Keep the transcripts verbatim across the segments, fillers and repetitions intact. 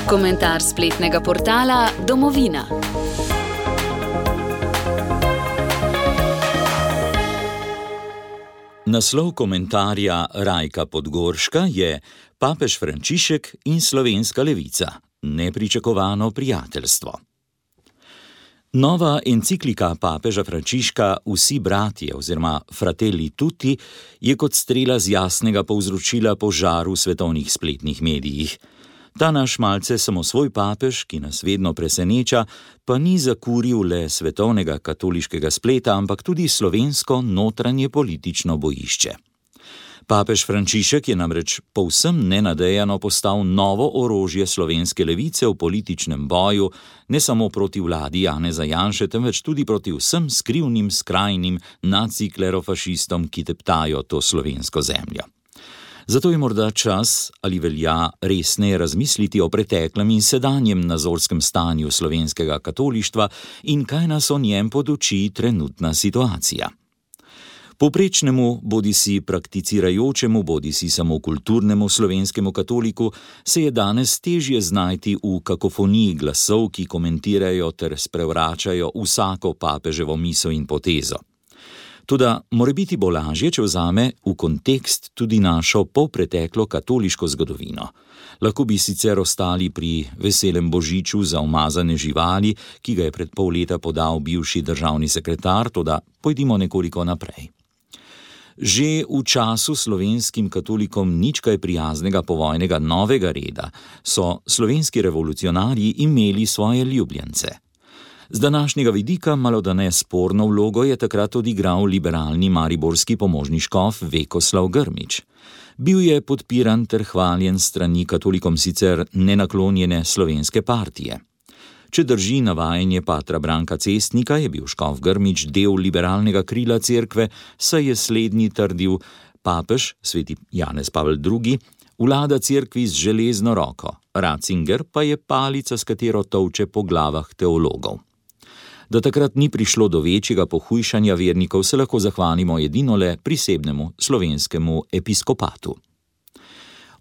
Komentar spletnega portala Domovina. Naslov komentarja Rajka Podgorška je Papež Frančišek in slovenska levica. Nepričakovano prijateljstvo. Nova enciklika papeža Frančiška Vsi bratje oziroma Fratelli tutti je kot strela z jasnega povzročila požar v svetovnih spletnih medijih. Ta naš malce samosvoj papež, ki nas vedno preseneča, pa ni zakuril le svetovnega katoliškega spleta, ampak tudi slovensko notranje politično bojišče. Papež Frančišek je namreč povsem nenadejano postal novo orožje slovenske levice v političnem boju, ne samo proti vladi Janeza Janše, temveč tudi proti vsem skrivnim, skrajnim naciklerofašistom, ki teptajo to slovensko zemljo. Zato je morda čas, ali velja resneje razmisliti o preteklem in sedanjem nazorskem stanju slovenskega katolištva in kaj nas o njem poduči trenutna situacija. Povprečnemu, bodisi prakticirajočemu, bodisi samo kulturnemu slovenskemu katoliku se je danes težje znajti v kakofoniji glasov, ki komentirajo ter sprevračajo vsako papeževo misel in potezo. Toda morebiti bo lažje, če vzame v kontekst tudi našo polpreteklo katoliško zgodovino. Lahko bi sicer ostali pri veselem božiču za umazane živali, ki ga je pred pol leta podal bivši državni sekretar, toda pojdimo nekoliko naprej. Že v času slovenskim katolikom nič kaj prijaznega povojnega novega reda so slovenski revolucionarji imeli svoje ljubljence. Z današnjega vidika malodane sporno vlogo je takrat odigral liberalni mariborski pomožni škof Vekoslav Grmić. Bil je podpiran ter hvaljen strani katolikom sicer nenaklonjene slovenske partije. Če drži navajanje patra Branka Cestnika, je bil škof Grmić del liberalnega krila cerkve, saj je slednji trdil, papež, sveti Janez Pavel drugi, vlada cerkvi z železno roko, Ratzinger pa je palica, s katero tolče po glavah teologov. Da takrat ni prišlo do večjega pohujšanja vernikov, se lahko zahvalimo edino le prisebnemu slovenskemu episkopatu.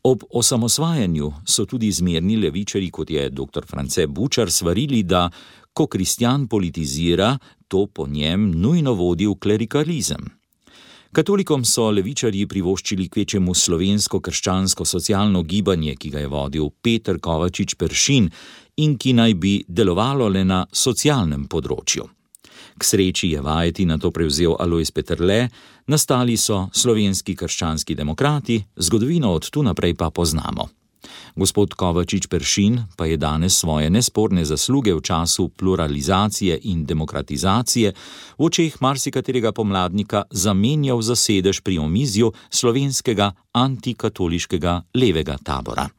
Ob osamosvajanju so tudi zmerni levičarji, kot je doktor France Bučar, svarili, da ko kristjan politizira, to po njem nujno vodi v klerikalizem. Katolikom so levičarji privoščili kvečjemu slovensko-krščansko socialno gibanje, ki ga je vodil Peter Kovačič Peršin in ki naj bi delovalo le na socialnem področju. K sreči je vajeti na to prevzel Alojz Peterle, nastali so slovenski krščanski demokrati, zgodovino od tu naprej pa poznamo. Gospod Kovačič Peršin pa je danes svoje nesporne zasluge v času pluralizacije in demokratizacije v očeh marsikaterega pomladnika zamenjal za sedež pri omizju slovenskega antikatoliškega levega tabora.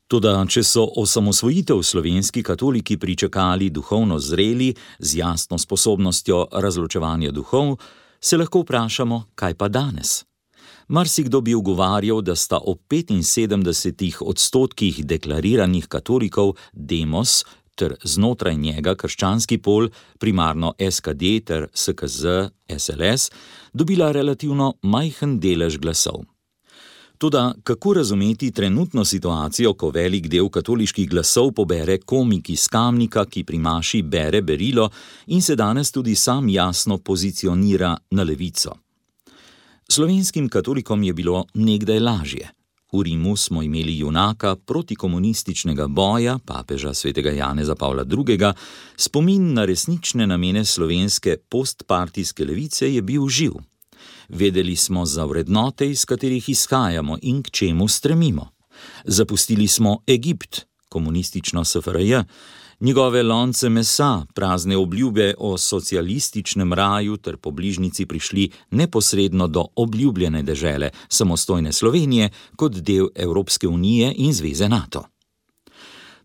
Toda, če so osamosvojitev slovenski katoliki pričakali duhovno zreli, z jasno sposobnostjo razločevanja duhov, se lahko vprašamo, kaj pa danes? Marsikdo bi ugovarjal, da sta ob petinsedemdesetih odstotkih deklariranih katolikov demos ter znotraj njega krščanski pol, primarno S K D ter S K Z, S L S, dobila relativno majhen delež glasov. Toda kako razumeti trenutno situacijo, ko velik del katoliških glasov pobere komik iz Kamnika, ki pri maši bere berilo in se danes tudi sam jasno pozicionira na levico? Slovenskim katolikom je bilo nekdaj lažje. V Rimu smo imeli junaka protikomunističnega boja, papeža svetega Janeza Pavla drugega, spomin na resnične namene slovenske postpartijske levice je bil živ. Vedeli smo za vrednote, iz katerih izhajamo in k čemu stremimo. Zapustili smo Egipt, komunistično S F R J, njegove lonce mesa, prazne obljube o socialističnem raju ter po bližnjici prišli neposredno do obljubljene dežele, samostojne Slovenije, kot del Evropske unije in zveze NATO.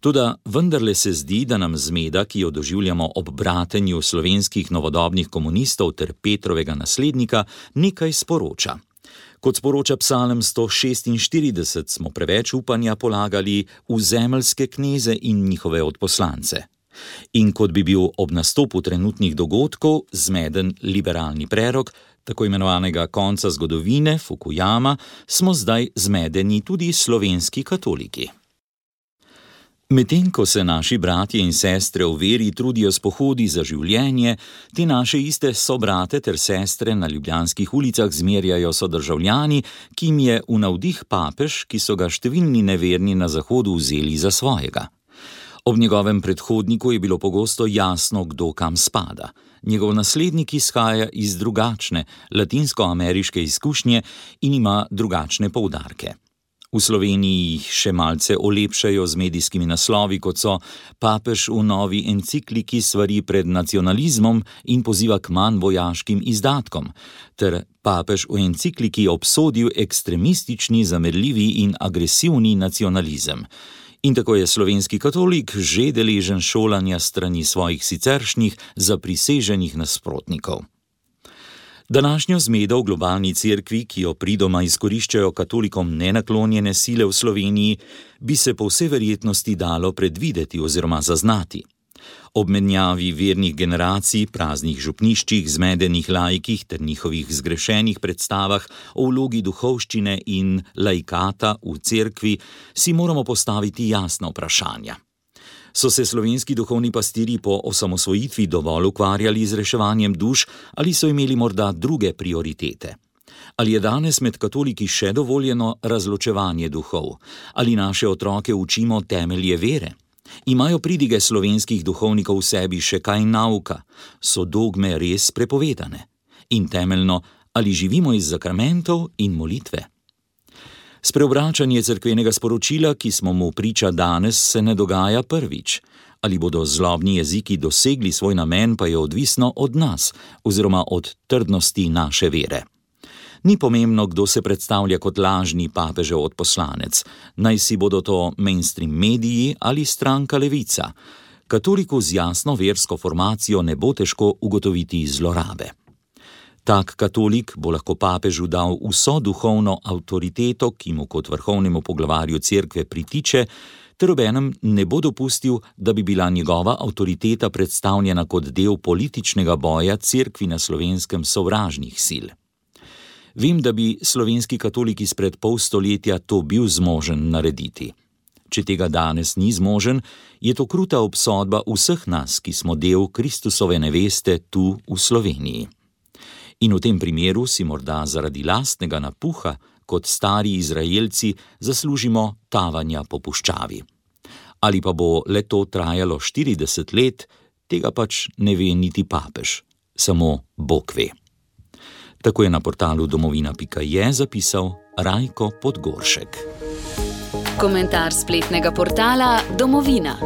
Toda vendarle se zdi, da nam zmeda, ki jo doživljamo ob bratenju slovenskih novodobnih komunistov ter Petrovega naslednika, nekaj sporoča. Kot sporoča Psalm sto šestinštirideset, smo preveč upanja polagali v zemeljske kneze in njihove odposlance. In kot bi bil ob nastopu trenutnih dogodkov zmeden liberalni prerok, tako imenovanega konca zgodovine, Fukuyama, smo zdaj zmedeni tudi slovenski katoliki. Medtem ko se naši bratje in sestre v veri trudijo s pohodi za življenje, te naše iste sobrate ter sestre na ljubljanskih ulicah zmerjajo sodržavljani, ki jim je v navdih papež, ki so ga številni neverni na zahodu vzeli za svojega. Ob njegovem predhodniku je bilo pogosto jasno, kdo kam spada. Njegov naslednik izhaja iz drugačne, latinskoameriške izkušnje in ima drugačne poudarke. V Sloveniji jih še malce olepšajo z medijskimi naslovi, kot so papež v novi encikliki svari pred nacionalizmom in poziva k manj vojaškim izdatkom, ter papež v encikliki obsodil ekstremistični, zamerljivi in agresivni nacionalizem. In tako je slovenski katolik že deležen šolanja strani svojih siceršnjih zapriseženih nasprotnikov. Današnjo zmedo v globalni cerkvi, ki jo pridoma izkoriščajo katolikom nenaklonjene sile v Sloveniji, bi se po vsej verjetnosti dalo predvideti oziroma zaznati. Ob menjavi vernih generacij, praznih župniščih, zmedenih laikih ter njihovih zgrešenih predstavah o vlogi duhovščine in laikata v cerkvi si moramo postaviti jasna vprašanja. So se slovenski duhovni pastirji po osamosvojitvi dovolj ukvarjali z reševanjem duš ali so imeli morda druge prioritete? Ali je danes med katoliki še dovoljeno razločevanje duhov? Ali naše otroke učimo temelje vere? Imajo pridige slovenskih duhovnikov v sebi še kaj nauka? So dogme res prepovedane? In temeljno, ali živimo iz zakramentov in molitve? Spreobračanje cerkvenega sporočila, ki smo mu priča danes, se ne dogaja prvič. Ali bodo zlobni jeziki dosegli svoj namen, pa je odvisno od nas, oziroma od trdnosti naše vere. Ni pomembno, kdo se predstavlja kot lažni papežev odposlanec, naj si bodo to mainstream mediji ali stranka Levica. Katoliku z jasno versko formacijo ne bo težko ugotoviti zlorabe. Tak katolik bo lahko papežu dal vso duhovno avtoriteto, ki mu kot vrhovnemu poglavarju cerkve pritiče, ter obenem ne bo dopustil, da bi bila njegova avtoriteta predstavljena kot del političnega boja cerkvi na Slovenskem sovražnih sil. Vem, da bi slovenski katolik izpred pol stoletja to bil zmožen narediti. Če tega danes ni zmožen, je to kruta obsodba vseh nas, ki smo del Kristusove neveste tu v Sloveniji. In v tem primeru si morda zaradi lastnega napuha, kot stari Izraelci, zaslužimo tavanja po puščavi. Ali pa bo le to trajalo štirideset let, tega pač ne ve niti papež, samo Bog ve. Tako je na portalu domovina pika je zapisal Rajko Podgoršek. Komentar spletnega portala Domovina.